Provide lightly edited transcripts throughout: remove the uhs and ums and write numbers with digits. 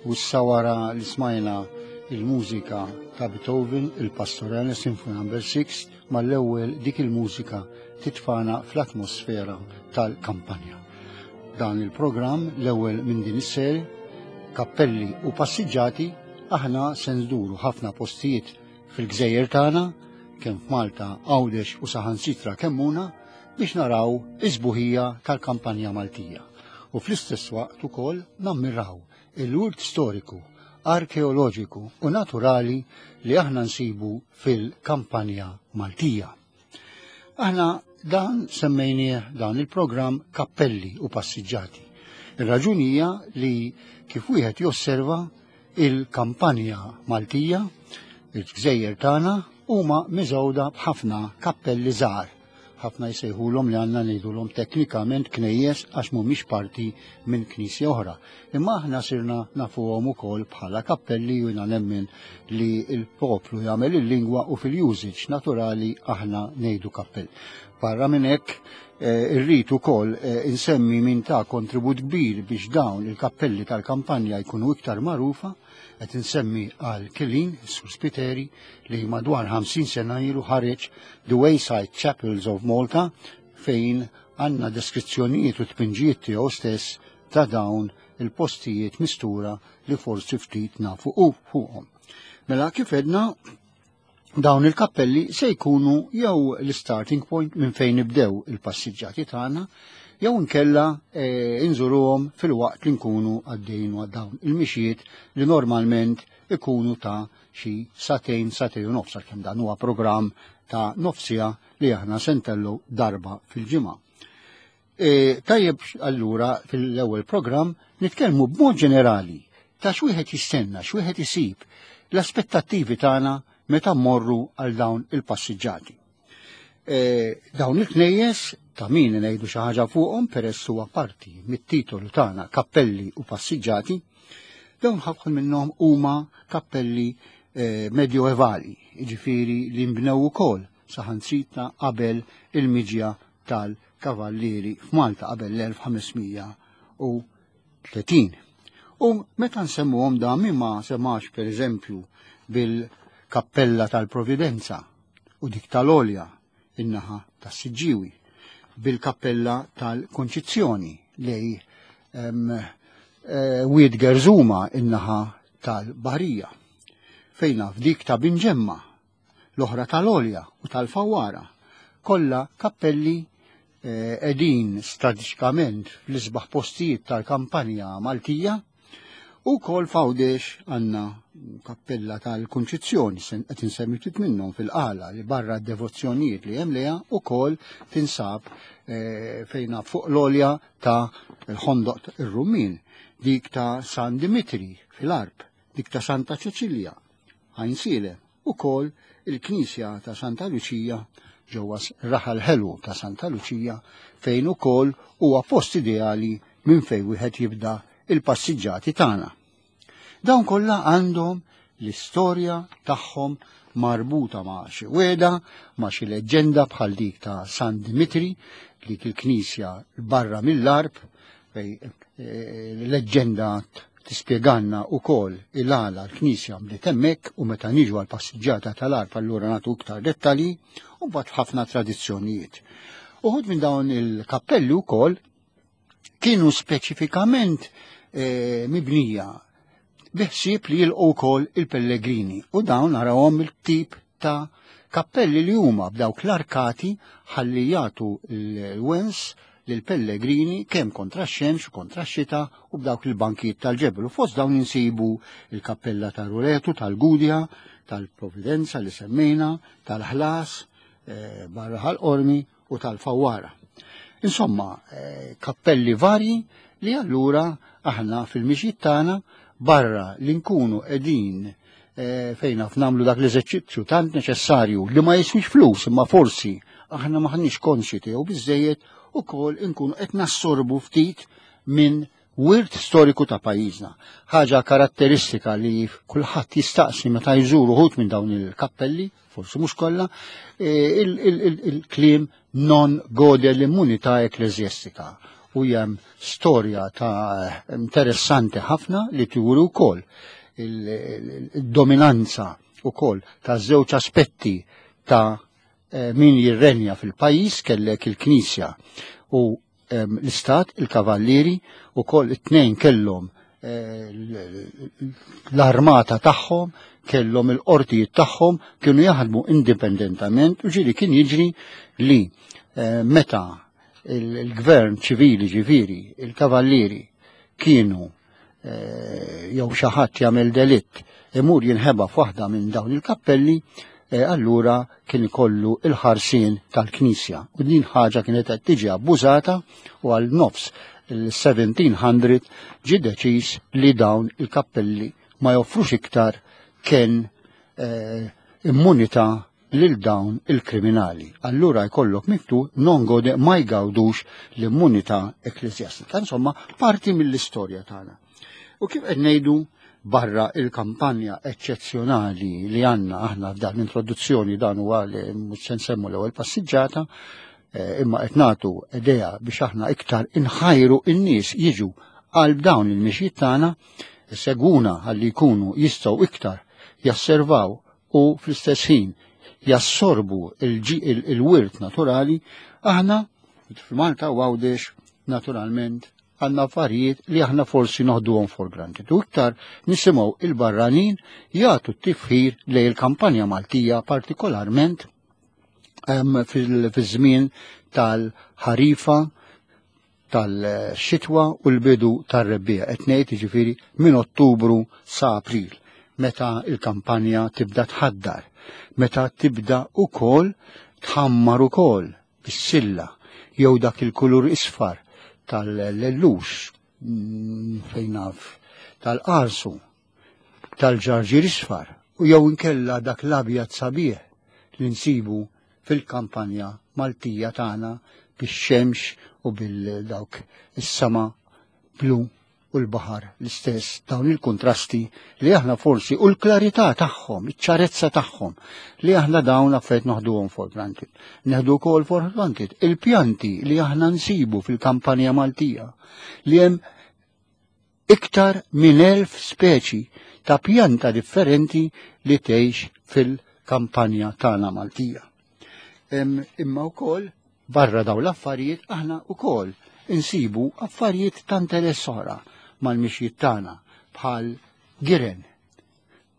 U issa wara li smajna il-mużika ta' Beethoven, il-Pastorale Symphony Number 6, mal-ewwel dik il-mużika titfana fl-atmosfera tal-kampanja. Dan il-programm l-ewwel minn din is-serje, Kappelli u Passiġġati, aħna se nżuru ħafna postijiet fil-gżejjer tagħna, kemm f'Malta, Għawdex u saħansitra Kemmuna, biex naraw is-sbuħija tal-kampanja Maltija u fl-istess waqt ukoll nammiraw il-wirt storiku, arkeoloġiku u naturali li aħna nsibu fil-kampanja Maltija. Aħna dan semmejnieh dan il-programm Kappelli u Passiġġati. Ir-raġuni hija li kif wieħed josserva il-kampanja Maltija, il-gżejjer tagħna huma miżgħuda b'ħafna kappelli żgħar. Ħafna jsejħulhom li għandna ngħidulhom teknikament knejjes għax mhumiex parti minn knisja oħra. Imma aħna sirna nafuhom ukoll bħala kappelli u jiena nemmen li l-poplu jagħmel il-lingwa u fil-usage naturali aħna ngħidu kappell. Barra minn hekk eh, irrid ukoll eh, insemmi min ta' kontribut kbir biex dawn il-kappelli tal-kampanja jkunu iktar magħrufa, qed insemmi għal Kilin, Sur Spiteri, li madwar 50 sena ilu ħareġ The Wayside Chapels of Malta fejn għandna deskrizzjonijiet u tpinġijiet tiegħu stess ta' dawn il-postijiet mistura li forsi ftit nafu u fuqhom. Mela kif edna dawn il-kappelli se jkunu jew l-starting point minn fejn nibdew il-passiġġati tagħna jew inkella e, inżuruhom fil-waqt li nkunu għaddejn dawn il-mixjiet li normalment ikunu ta' xi satejn satejn u nofs għalkemm dan huwa programm ta' nofsija li aħna sentellu darba fil-ġimgħa. E, tajjeb allura fil-ewwel programm nitkellmu b'mod ġenerali ta' x'wieħed jistenna, x'wieħed isib, l-aspettattivi tagħna meta mmorru għal dawn il-passiġġati. E, dawn il-knejjes ta' min ngħidu xi ħaġa fuqhom peress huwa parti mit-titolu tagħna kappelli u passiġġati, dawn ħafna minnhom huma kappelli e, medjoevali, jiġifieri li nbnew ukoll saħansitra qabel il-miġja tal-Kavallieri f'Malta qabel l-1530. U meta nsemmuhom da min ma semax pereżempju bil-Kappella tal-Providenza u dik tal-Olja in-naħa tas-Siġġiewi, bil-Kappella tal-Konċizzjoni lej eh, Wied Gerżuma in-naħa tal-Baħrija, fejna f'dik ta' Binġemma l-oħra tal-Għolja u tal-Fawwara, kollha kappelli eh, qegħdin strateġikament fl-isbaħ postijiet tal-kampanja Maltija u kol fawdex għanna kappella tal-Kunċizzjoni, qed insemmi ftit minnhom fil-qala li barra d-devozzjonijiet li hemm leha ukoll tinsab eh, fejna fuq l-olja ta' l-ħondoq ir-Rummin, dik ta' San Dimitri fil-Arb, dik ta' Santa Ċeċilja Għajnsielem, ukoll il-Knisja ta' Santa Luċija ġewwa Raħal Ħelu ta' Santa Luċija fejn ukoll huwa post ideali minn fejn wieħed jibda il-passiġġati tagħna. Dawn kollha għandhom l-istorja tagħhom marbuta ma' xi weda, ma' xi leġġenda bħal dik ta' San Dimitri, dik il-knisja barra mill-arb, fej eh, leġġenda tispjegalna wkoll il-għala l-Knisja bdiet hemmhekk u meta niġu għal passiġġata tal-arb allura nagħtu iktar dettalji u mbagħad ħafna tradizzjonijiet. Uħud minn dawn il-kappelli wkoll kienu speċifikament eh, mibnija biħsieb li jilqu wkoll il-pellegrini u dawn narawhom il-tip ta' kappelli li huma b'dawk l-arkati ħalli jagħtu l-wens lil pellegrini kemm kontra x-xemx u kontra x-xita u b'dawk il-bankijiet tal-ġebel. U fost dawn insibu il-kappella ta' Ruletu, tal-Gudja, tal-Providenza li semmejna, tal-Ħlas, eh, barra ħal-Qormi u tal-Fawwara. Insomma, eh, kappelli varji li allura aħna fil-mixjiet tagħna barra li nkunu qegħdin eh, fejn naf nagħmlu dak l-eżerċizzju tant neċessarju li ma jiswix flus imma forsi aħna maħniex konxi tiegħu biżejjed ukoll inkunu qed nassorbu ftit minn wirt storiku ta' pajjiżna. Ħaġa karatteristika li kulħadd jistaqsi meta jżuru uħud minn dawn il-kappelli, forsi mhux kollha, e, il-kliem non gode l-immunità ekklesjastika. U hemm storja ta' interessanti ħafna li turi wkoll il-dominanza wkoll ta' żewġ aspetti ta' min jirrenja fil-pajjiż kellek il-Knisja u l-Istat, il-Kavallieri, u koll it-tnejn kellhom l-armata tagħhom, kellhom il-qortijiet tagħhom, kienu jaħdmu indipendentament u ġieli kien jiġri li meta il-gvern ċivili ġifieri, il-kavallieri kienu jew xi ħadd jagħmel delitt imur jinħeba f'waħda minn dawn il-kappelli, allura kien ikollu il-ħarsien tal-Knisja. U din ħaġa kienet qed tiġi abbużata u għal nofs il-1700 ġie deċiż li dawn il-kappelli ma joffrux iktar kien immunità lil dawn il-kriminali. Allura jkollok miktub non gode ma jgawdux l-immunità ekkleżjastika. Insomma, parti mill-istorja tagħna. U kif qed ngħidu barra il-kampanja eċċezzjonali li għandna aħna f'dan l-introduzzjoni dan huwa li mhux se nsemmu l-ewwel passiġġata, imma qed nagħtu idea biex aħna iktar inħajru n-nies jiġu għal dawn il-mixjiet tagħna, segwuna ħalli jkunu jistgħu iktar jasservaw u fl-istess ħin jassorbu il-wirt naturali, aħna f'Malta u Għawdex naturalment għandna affarijiet li aħna forsi noħduhom for granted. U iktar nisimgħu il-barranin jagħtu t-tifħir lejn il-kampanja Maltija partikolarment fil-żmien tal-ħarifa, tal-xitwa u l-bidu tar-rebbiegħa. Qed ngħid jiġifieri minn Ottubru sa April, meta il-kampanja tibda tħaddar, meta tibda ukoll tħammar ukoll bis-silla jew dak il-kulur isfar tal-lellux, fejn naf, tal-qarsu, tal-ġarġir isfar, u jew inkella dak l-abjad sabiħ li nsibu fil-kampanja Maltija tagħna bix-xemx u bil-dawk is-sama blu u l-baħar l-istess, dawn il-kontrasti li aħna forsi u l-klarità tagħhom, iċ-ċarezza tagħhom li aħna dawn affarijiet noħduhom for granted. Neħdu wkoll for granted il-pjanti li aħna nsibu fil-kampanja Maltija li hemm iktar minn 1000 speċi ta' pjanta differenti li tgħix fil-kampanja tagħna Maltija. Imma wkoll barra dawn l-affarijiet aħna wkoll insibu affarijiet ta' interess oħra mal-mixjiet tagħna bħal giren.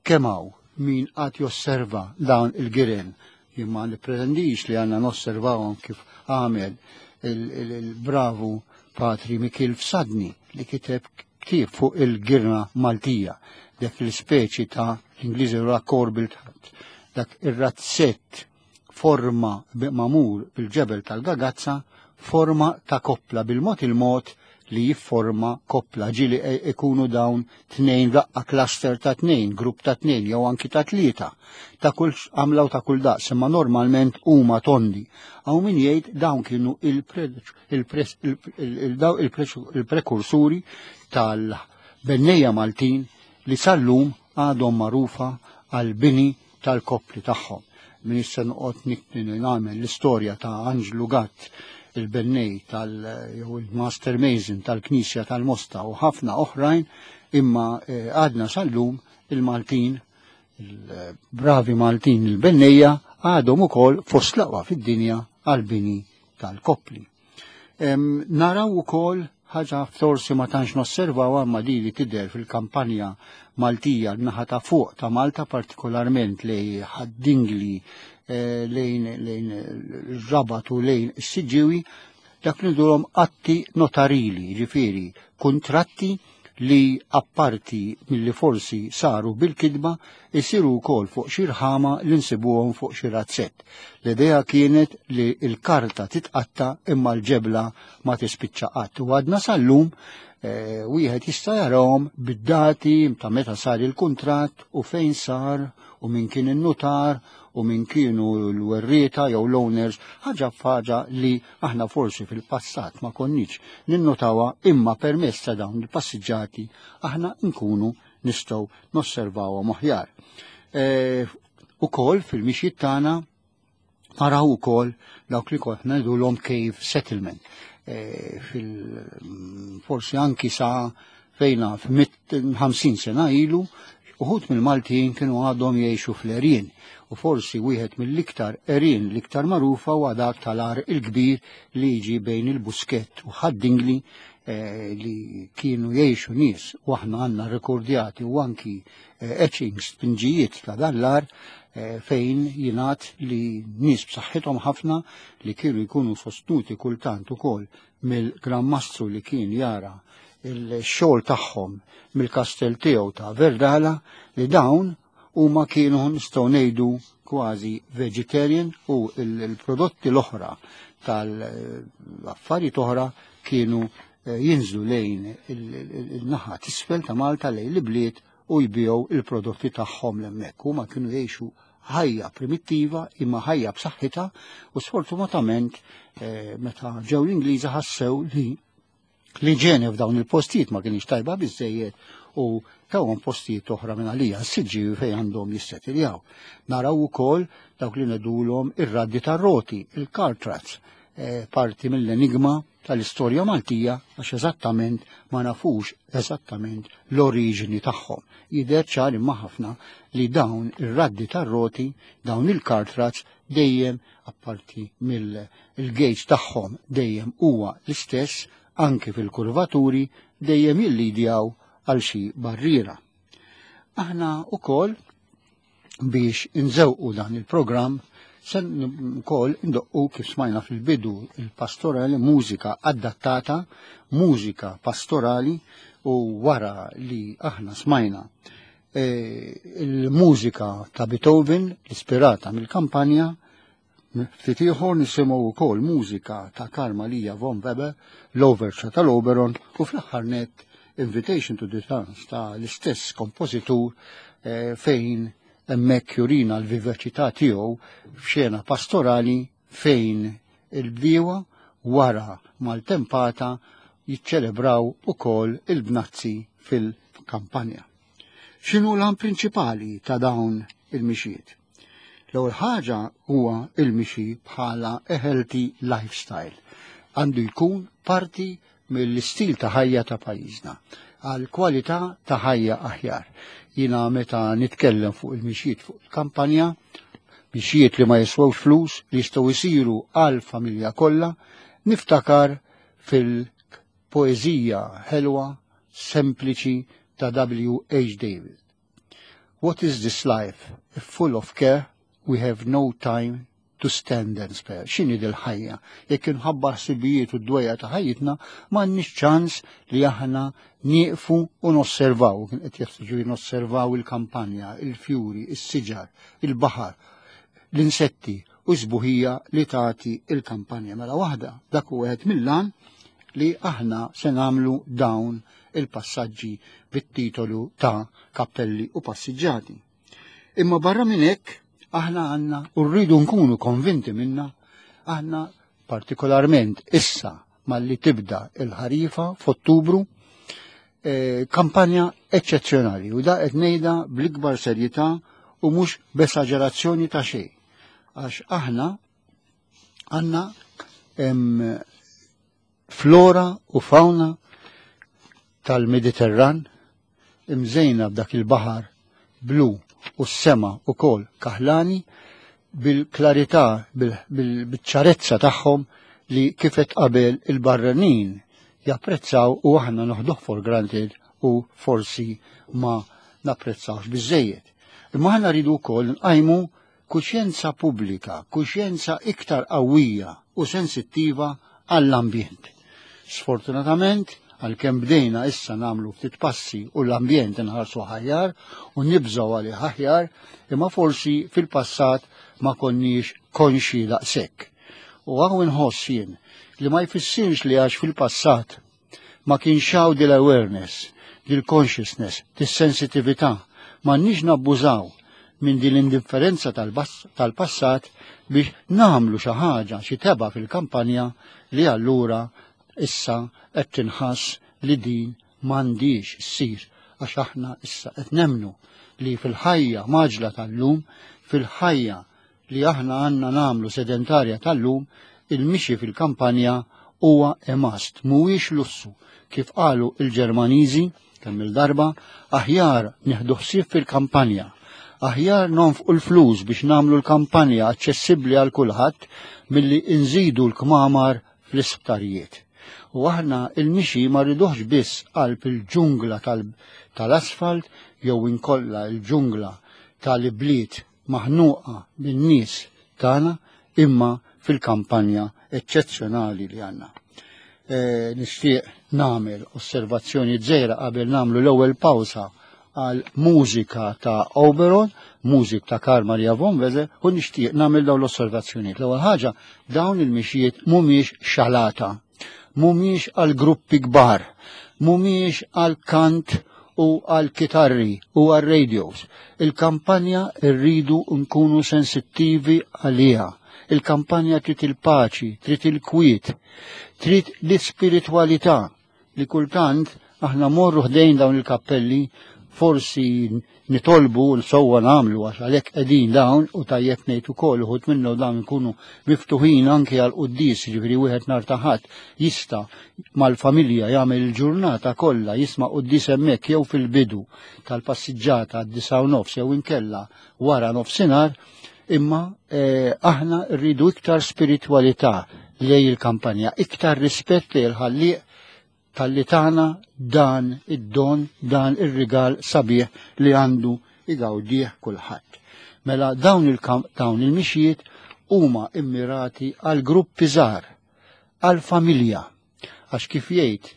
Kemm hawn min qatt josserva dawn il-giren, jien ma nippretendix li għandna nosservawhom kif għamel il-bravu Patri Mikil Fsadni li kiteb ktieb fuq il-girna Maltija, dak l-ispeċi ta' l-Ingliżi corbilt, dak ir-razzett forma mamur bil-ġebel tal-gagazza, forma ta' koppla bil-mod il-mod li jifforma koppla, ġili ikunu dawn tnejn raqqa cluster ta' tnejn, grupp ta' tnejn, jew anki ta' tlieta, ta' kull għamla u ta' kull daqs, imma normalment huma tondi. Hawn min jgħid dawn kienu il-prekursuri tal-bennejja Maltin li sal-lum għadhom magħrufa għal-bini tal-koppli tagħhom. Min issa noqgħod nagħmel l-istorja ta' Anġlu Gatt, il-bennej tal jew il-Master Mason tal-Knisja tal-Mosta u ħafna oħrajn, imma għadna sal-lum il-Maltin, il-bravi Maltin il-bennejja għadhom ukoll fost l-aqwa fid-dinja għal-bini tal-koppli. Naraw ukoll ħaġa forsi ma tantx nosservaw imma di li tidher fil-kampanja Maltija n-naħa ta' fuq ta' Malta, partikolarment lejn Ħad-Dingli, lejn Rabat u lejn is-Siġġiewi, dak li ngħidulhom atti notarili, ġifieri kuntratti li apparti milli forsi saru bil-kidba isiru wkoll fuq xi rħama li nsibuhom fuq xi razzett. L-idea kienet li l-karta titqatta imma l-ġebla ma tispiċċa qatt. U għadna sal-lum wieħed jista' jarahom bid-dati ta' meta sar il-kuntratt u fejn sar u min kien in-nutar u min kienu l-werrieta jew l-owners, ħaġa f'ħaġa li aħna forsi fil-passat ma konniex ninnotawha, imma permezz ta' dawn il-passiġġati aħna nkunu nistgħu nosservawhom aħjar. Ukoll fil-mixjiet tagħna naraw ukoll dawk li konna ngħidulhom cave settlement. fil forsi anki sa fejna f-50 sena ilu, uħut mill-Maltin kienu għadhom jgħixu fl-erien u forsi wieħed mill-iktar erien l-iktar magħrufa huwa dak tal-Għar il-Kbir li jiġi bejn il-Buskett u Ħad-Dingli li kienu jgħixu nies u aħna għandna rekordjati u anki etchings, tpinġijiet ta' dan l-għar fejn jingħad li nies b'saħħithom ħafna li kienu jkunu sostnuti kultant ukoll mill-Gran Mastru li kien jara il-xogħol tagħhom mill-kastell tiegħu ta' Verdala li dawn huma kienu nistgħu ngħidu kważi vegetarian u l-prodotti l-oħra tal-affarijiet oħra kienu jinżlu lejn il-naħa t'isfel ta' Malta lejn l-ibliet u jbigħu il-prodotti tagħhom l-hemmhekk. Huma kienu jgħixu ħajja primittiva imma ħajja b'saħħitha u sfortunatament meta ġew l-Ingliżi ħassew li l-iġene f'dawn il-postijiet ma kienx tajba biżejjed u tawhom postijiet oħra minn għalija s-siġġiewi fejn għandhom jissetiljaw. Naraw ukoll dawk li ngħidulhom ir-raddi tar-roti, il-car tracks, parti mill-enigma tal-istorja Maltija għax eżattament ma nafux eżattament l-oriġini tagħhom. Jidher ċar imma ħafna li dawn ir-raddi tar-roti, dawn il-car tracks dejjem apparti mill-gauge tagħhom dejjem huwa l-istess anki fil-kurvaturi dejjem jillidjaw għal xi barriera. Aħna ukoll biex inżewqu dan il-programm se wkoll indoqqu kif smajna fil-bidu il-pastorali, mużika adattata, mużika pastorali u wara li aħna smajna il-mużika ta' Beethoven ispirata mill-kampanja, ftit ieħor nisimgħu wkoll mużika ta' Karl Maria von Weber, l-Overture tal-Oberon u fl-aħħar nett Invitation to the Dance ta' l-istess kompożitur fejn hemmhekk jurina l-vivaċità tiegħu f'xena pastorali fejn il-bdiewa wara maltempata jiċċelebraw ukoll il-bnazzi fil-kampanja. X'inhu l-għan prinċipali ta' dawn il-mixiet? L-ewwel ħaġa huwa il-mixi bħala a healthy lifestyle. Għandu jkun parti mill-istil ta' ħajja ta' pajjiżna għal kwalità ta' ħajja aħjar. Jiena meta nitkellem fuq il-mixiet fuq il-kampanja, mixiet li ma jiswewx flus li jistgħu jsiru għal familja kollha, niftakar fil-poeżija ħelwa sempliċi ta' W. H. David. What is this life if full of care we have no time to stand and spare? X'inhi dil-ħajja? Jekk inħabba ħsibijiet u d-dwejja ta' ħajjitna, m'għandniex ċans li aħna nieqfu u nosservaw. Kien qed jeħtieġu nosservaw il-kampanja, il-fjuri, is-siġar, il-baħar, l-insetti u s-sbuħija li tagħti il-kampanja. Mela waħda, dak hu wieħed mill-għan li aħna se nagħmlu dawn il-passaġġi bit-titolu ta' Kappelli u Passiġġati. Imma barra minn hekk aħna għandna u rridu nkunu konvinti minna, aħna partikolarment issa malli tibda il-ħarifa f'Ottubru, kampanja eċċezzjonali u da qed ngħidha bl-ikbar serjetà u mhux b'esaġerazzjoni ta' xejn. Għax aħna għandna flora u fauna tal-Mediterran imżejna b'dak il-baħar blu u s-sema u kol kaħlani bil-klarità, bil-ċarezza tagħhom li kifet qabel il-barranin japprezzaw u aħna noħduh for granted u forsi ma napprezzawx biżejjed. Imma aħna rridu wkoll nqajmu kuxjenza pubblika, kuxjenza iktar qawwija u sensittiva għall-ambjent. Sfortunatament, għalkemm bdejna issa nagħmlu ftit passi u l-ambjent inħarsu aħjar u nibżgħu għalih aħjar, imma forsi fil-passat ma konniex konxi daqshekk. U hawn inħoss jien li ma jfissirx li għax fil-passat ma kienx hawn dil-awareness, dil-consciousness, dis-sensitività, m'għandniex nabbużaw minn din l-indifferenza tal-passat biex nagħmlu xi ħaġa, xi teba fil-kampanja li allura issa qed tinħass li din m'għandix issir għax aħna issa qed nemmnu li fil-ħajja maġla tal-lum, fil-ħajja li aħna għandna nagħmlu sedentarja tal-lum, il-mixi fil-kampanja huwa a must, mhuwiex lussu. Kif qalu il-Ġermaniżi kemm il-darba, aħjar nieħdu ħsieb fil-kampanja. Aħjar nonfqu l-flus biex nagħmlu l-kampanja aċċessibbli għal kulħadd milli nżidu l-kmamar fl-isptarijiet. U aħna il-mixi ma rriduhx biss qalb il-ġungla tal-asfalt jew inkolla il-ġungla tal-ibliet maħnuqa bin-nies tagħna imma fil-kampanja eċċezzjonali li għandna. E, nixtieq nagħmel osservazzjoni żgħira qabel nagħmlu l-ewwel pawsa għal mużika ta' Oberon, mużik ta' Karl Maria von Weser, u nixtieq nagħmel dawn l-osservazzjonijiet. L-ewwel ħaġa, dawn il-mixjiet mhumiex xalata, mhumiex għal gruppi kbar, mhumiex għal kant u għal kitarri u għal radios. Il-kampanja rridu nkunu sensittivi għaliha. Il-kampanja trid il-paċi, trid il-kwiet, trid l-ispiritwalità li kultant aħna morru ħdejn dawn il-kappelli forsi nitolbu l-sewwa nagħmlu għax għalhekk qegħdin dawn u tajjeb ngħid ukoll uħud minnu dawn ikunu miftuħin anke għal quddis, ġifieri wieħed nhar ta' ħadd jista' mal-familja jagħmel il-ġurnata kollha jisma' quddis hemmhekk jew fil-bidu tal-passiġġata għad-disgħa u nofs jew inkella wara nofsinhar, imma eh, aħna rridu iktar spiritwalità lej il-kampanja, iktar rispett lej il-ħallieq talli tana dan id-don, dan ir-rigal sabiħ li għandu igawdih kulħadd. Mela dawn il-mixjiet huma immirati għal gruppi żgħar, għal familja. Għax kif jgħid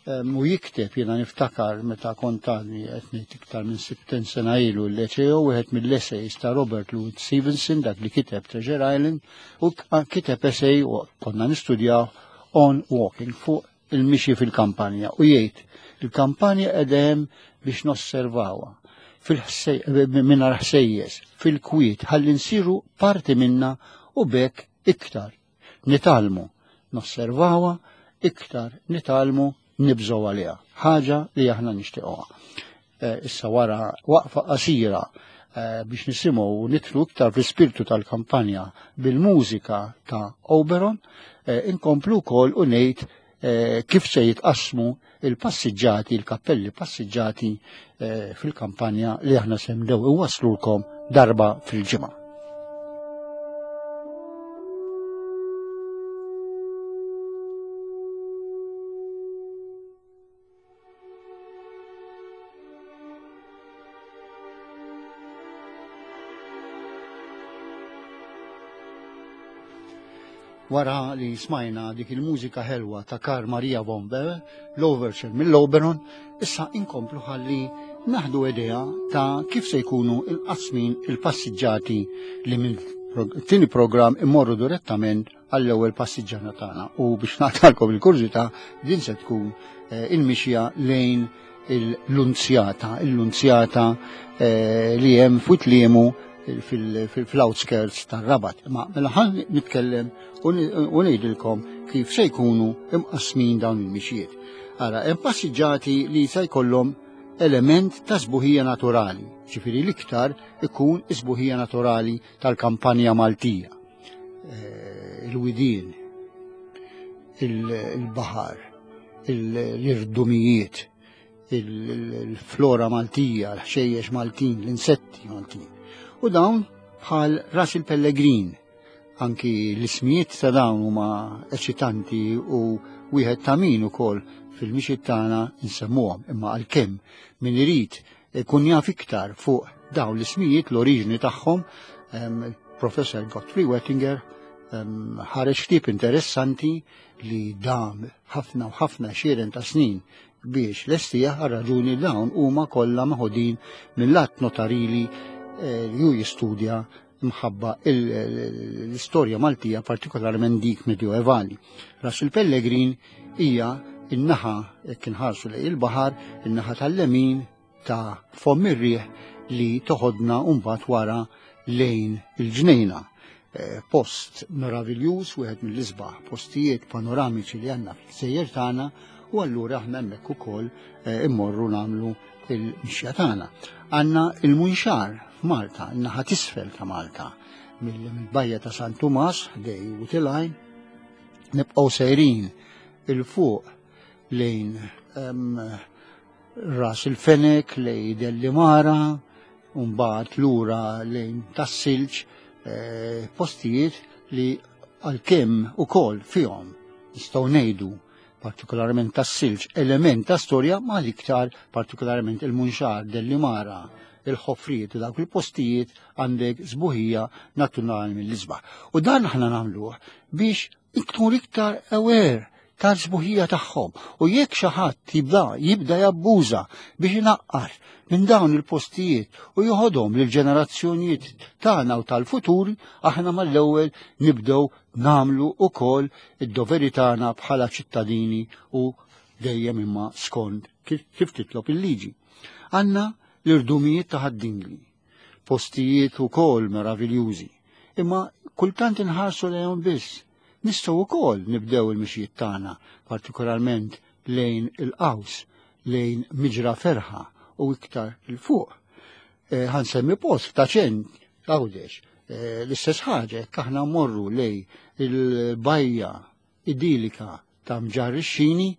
u jikteb jiena niftakar meta kont għadni qed ngħid iktar minn 60 sena ilu l-leceo wieħed mill-essays ta' Robert Louis Stevenson dak li kiteb Treasure Island u kiteb essay u konna nistudjaw on walking fuq il-mixi fil-kampanja u jgħid il-kampanja qegħda biex nosservawha mingħajr ħsejjes, fil-kwiet, ħalli nsiru parti minna u bekk iktar nitgħallmu nosservawha, iktar nitgħallmu nibżgħu għaliha. Ħaġa li aħna nixtiequha. Eh, issa wara waqfa qasira eh, biex nisimgħu u nitlu iktar fl-ispirtu tal-kampanja bil-mużika ta' Oberon, eh, inkomplu wkoll u ngħid kif se jitqassmu il-passiġġati, il-kappelli passiġġati fil-kampanja li aħna se nbdew iwaslulkom darba fil-ġimgħa. Wara li smajna dik il-mużika ħelwa ta' Kar Maria von Bell, l-Overture mill-Oberon, issa inkomplu ħalli naħdu idea ta' kif se jkunu il-qasmin il-passiġġati li minn tini program immorru direttament għall-ewwel passiġġana tagħna. U biex naqtalkom il-kurżità din se tkun eh, il-mixja lejn il-lunzjata, il-lunzjata eh, li hemm fuq liemu fil-outskirts tar-Rabat. Ma mela ħan nitkellem u ngħidilkom kif se jkunu imqasmin dawn il-mixjiet. Ara, hemm passiġġati li se jkollhom element ta' sbuħija naturali, ġifieri l-iktar ikun isbuħija naturali tal-kampanja Maltija. Eh, il-widien, il-baħar, l-irdumijiet, il-flora Maltija, l-ħxejjex Maltin, l-insetti Maltin. U dawn bħal ras il-pellegrin, anki l-ismijiet ta' dawn huma eċitanti u wieħed ta' min ukoll fil-mixi tagħna nsemmuhom, imma għalkemm min irid ikun jaf iktar fuq dawn l-ismijiet l-oriġni tagħhom, Professor Godfrey Wettinger ħareġ ktieb interessanti li dam ħafna u ħafna xieren ta' snin biex lestija għal raġuni dawn huma kollha meħudin mill-att notarili eh, li hu jistudja mħabba l-istorja Maltija partikolarment dik medjoevali. Ras il-Pellegrin hija in-naħa jekk inħarsu lejn il-baħar, in-naħa tal-lemin ta' fomm ir-riħ li toħodna mbagħad wara lejn il-ġnejna. Eh, post meraviljuż, wieħed mill-isbaħ postijiet panoramiċi li għandna fil-gżejjer tagħna u allura aħna hemmhekk ukoll eh, immorru nagħmlu il-mixja tagħna. Għandna il-Munxar f'Malta, in-naħa t'isfel ta' Malta, mill-bajja ta' San Tumas, dej u tilajn, nibqgħu sejrin. 'il fuq lejn Ras il-Fenek, lejn Dellimara, u mbagħad lura lejn Tas-Silġ, eh, postijiet li għalkemm ukoll fihom nistgħu ngħidu partikolarment tas-silġ, element ta' storja ma l-iktar partikolarment il-Munxar, Dellimara, il-ħofriet u dawk il-postijiet għandek sbuħija naturali mill-isbaħ. U dan aħna nagħmluh biex ikun iktar aware tal-sbuħija tagħhom. U jekk xi ħadd jibda jibda jabbuża biex inaqqar minn dawn il-postijiet u joħodhom lil ġenerazzjonijiet tagħna u tal-futur, aħna mal-ewwel nibdew nagħmlu ukoll id-doveri tagħna bħala ċittadini u dejjem imma skont kif titlob il-liġi. Għandna l-irdumijiet ta' Ħad-Dingli, postijiet ukoll meraviljużi, imma kultant inħarsu lejhom biss. Nistgħu wkoll nibdew il-mixjiet tagħna, partikolarment lejn il-qaws, lejn Miġra Ferħa u iktar 'il fuq. Eh, ħansemmi post ta' ċent Għawdex. Eh, l-istess ħaġa jekk aħna mmorru lej il-bajja idilika ta' Mġarr ix-Xini,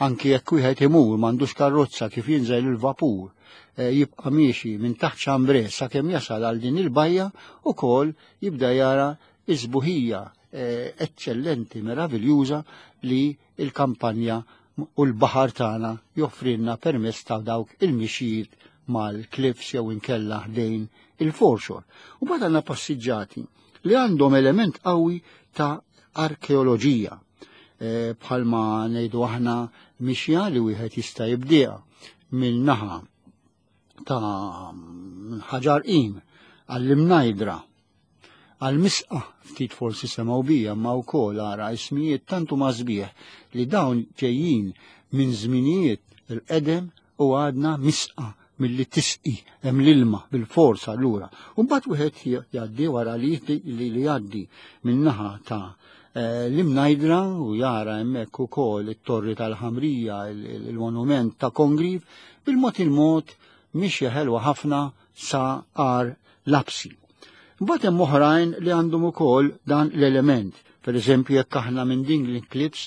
anki jekk wieħed imur m'għandux karrozza kif jinżel il-vapur, eh, jibqa' miexi minn taħt Xambre sakemm jasal għal din il-bajja ukoll jibda jara is-sbuħija eh, eċċellenti, meraviljuża li il-kampanja u l-baħar tagħna joffrilna permezz ta' dawk il-mixjiet mal-cliffs jew inkella ħdejn il-foreshore. U mbagħad għandna passiġġati li għandhom element qawwi ta' arkeoloġija. Eh, bħalma ngħidu aħna mixja li wieħed jista' jibdieha minn naħa ta' ħaġar qim għall-imnajdra għal-misqa ftit forsi semgħu bija ma wkoll ara ismijiet tant huma sbieħ li dawn ġejjin minn żminijiet il-qedem u għadna misqa milli tisqi hemm l-ilma bil-fors allura. U mbagħad wieħed jgħaddi wara li li jgħaddi min-naħa ta' eh, l-imnajdra u jara hemmhekk ukoll it-torri tal-ħamrija, il-monument ta' Kongriv, bil-mod il-mod mixja ħelwa ħafna sa għar lapsi. Mbagħad hemm oħrajn li għandhom ukoll dan l-element. Per eżempju, jekk aħna minn din l-clips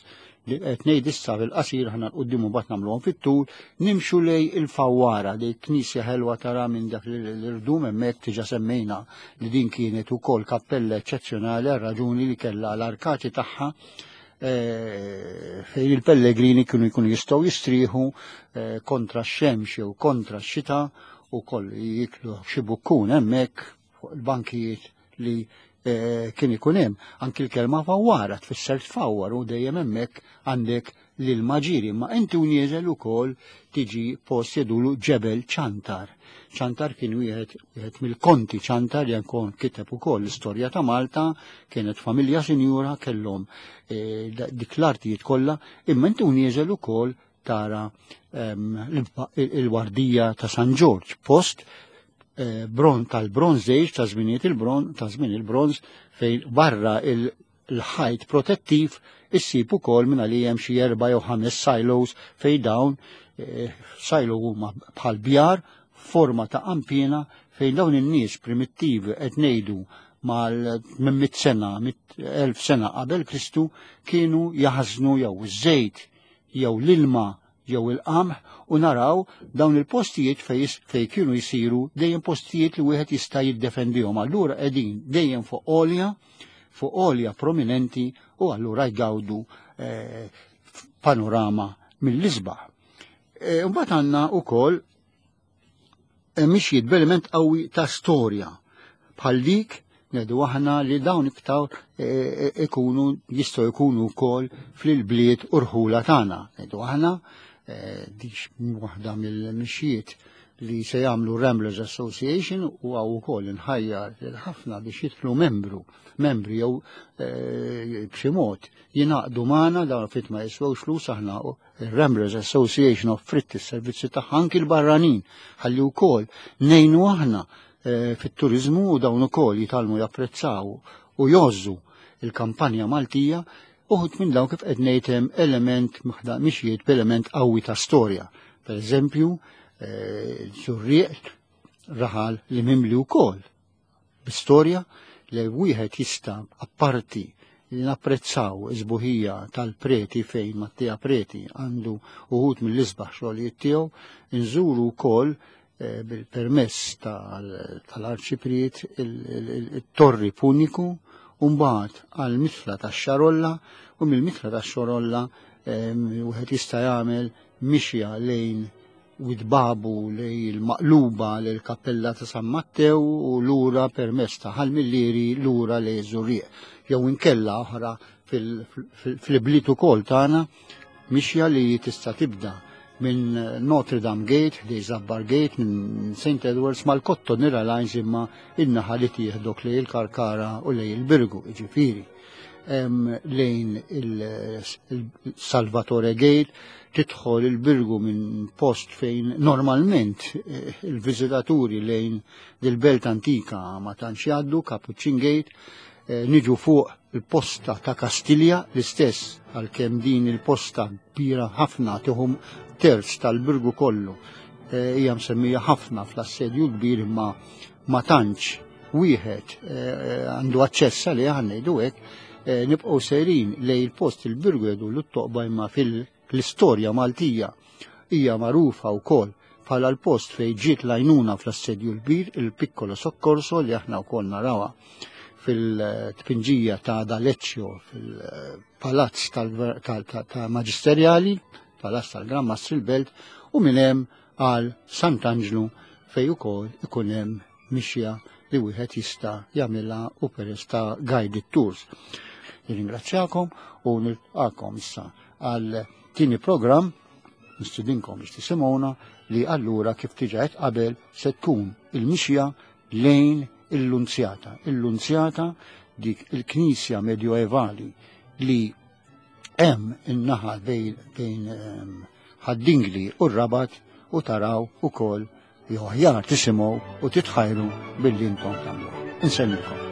li qed ngħid issa fil-qasir aħna l-qudiem u mbagħad nagħmluhom fit-tul, nimxu lej il-fawwara li knisja ħelwa tara minn dak l-irdum hemmhekk diġà semmejna li din kienet ukoll kappella eċċezzjonali għal raġuni li kellha l-arkati tagħha eh, fejn il-pellegrini kienu jkunu jistgħu jistrieħu eh, kontra x-xemx jew kontra x-xita u koll jiklu xi bukkun hemmhekk fuq il-bankijiet li eh, kien ikun hemm. Anki l-kelma fawwara tfisser tfawwar u dejjem hemmhekk għandek lil maġiri, ma inti u nieżel ukoll tiġi post jedulu ġebel ċantar. Ċantar kien wieħed wieħed mill-konti ċantar li nkun kiteb ukoll l-istorja ta' Malta, kienet familja sinjura kellhom eh, dik l-artijiet kollha, imma inti u nieżel ukoll tara ehm, il-wardija ta' San Ġorġ, post eh, bron tal-Bronze Age ta' żminijiet il-bron ta' żmien il-bronz fejn barra il-ħajt protettiv issib ukoll minn għalija hemm xi erba' jew ħames silos fejn dawn eh, silo huma bħal bjar forma ta' qampina fejn dawn in-nies primittivi qed ngħidu mal minn mit sena, mit elf sena qabel Kristu kienu jaħżnu jew iż-żejt jew l-ilma jew il-qamħ u naraw dawn il-postijiet fej, fej kienu jisiru dejjem postijiet li wieħed jista' jiddefendihom. Allura qegħdin dejjem fuq għolja, fuq għolja prominenti u allura jgawdu eh, panorama mill-isbaħ. Eh, mbagħad għandna wkoll mixjiet b'element qawwi ta' storja bħal dik ngħidu aħna li dawn iktar e, e, ikunu jistgħu jkunu wkoll fil-bliet u rħula tagħna. Ngħidu aħna e, dik waħda mill-mixjiet li se jagħmlu Ramblers Association u għaw ukoll inħajjar lil ħafna biex jidħlu membru, membri jew b'xi mod jingħaqdu magħna dawn fit ma jiswewx flus aħna Il-Ramblers Association offrit is-servizzi tagħha anki l-barranin ħalli wkoll ngħinu aħna eh, fit-turiżmu u dawn ukoll jitalmu japprezzaw u jgħożżu il-kampanja Maltija uħut minn dawn kif qed ngħid hemm element mixjiet b'element qawwi ta' storja. Per eżempju, eh, Żurrieq raħal li mimli wkoll bi storja li wieħed jista' apparti li napprezzaw is-sbuħija tal-Preti fejn Mattia Preti għandu uħud mill-isbaħ xogħlijiet tiegħu, inżuru wkoll eh, bil-permess tal-Arċipriet il-Torri Puniku u mbagħad għall-Mitla tax-Xarolla u mill-Mitla tax-Xarolla eh, wieħed jista' jagħmel mixja lejn Widbabu lej il-Maqluba lil kappella ta' San Mattew u lura permezz ta' Ħal Millieri lura lej Żurrieq. Jew inkella oħra fil-bliet ukoll tagħna mixja li tista' tibda minn Notre Dame Gate, ħdej Zabbar Gate, minn St. Edwards mal-Kotto Nira Lines imma in-naħa li tieħdok lej il-Karkara u lej il-Birgu, jiġifieri lejn il-Salvatore Gate, tidħol il-Birgu minn post fejn normalment eh, il-viżitaturi lejn dil-belt antika ma tantx jgħaddu, Capuchin Gate, eh, niġu fuq il-posta ta' Kastilja l-istess għalkemm din il-posta kbira ħafna tieħu terz tal-Birgu kollu eh, hija msemmija ħafna fl-assedju kbir imma ma tantx wieħed eh, għandu aċċess għalih ħa ngħidu hekk, eh, nibqgħu sejrin lej il-post il-Birgu jgħidu l-toqba imma fil-istorja Maltija hija magħrufa wkoll bħala l-post fejn ġiet lajnuna fl-assedju l-kbir il-Piccolo Soccorso li aħna wkoll narawha fil-tpinġija ta' D'Aleccio fil-palazz ta' Maġisterjali, palazz tal-Gran Mastri l-Belt, u minn hemm għal Sant'Anġlu fejn ukoll ikun hemm mixja li wieħed jista' jagħmilha u peress ta' guided tours. Nirringrazzjakom u nilqakom issa għal tieni programm nistidinkom biex tisimgħuna li allura kif diġà qed qabel se tkun il-mixja lejn il-Lunzjata. Il-Lunzjata dik il-knisja medjoevali li hemm in-naħa bejn ehm, Ħad-Dingli u r-Rabat u taraw ukoll jew aħjar tisimgħu u titħajru billi intom tagħmluha. Insellmilkom.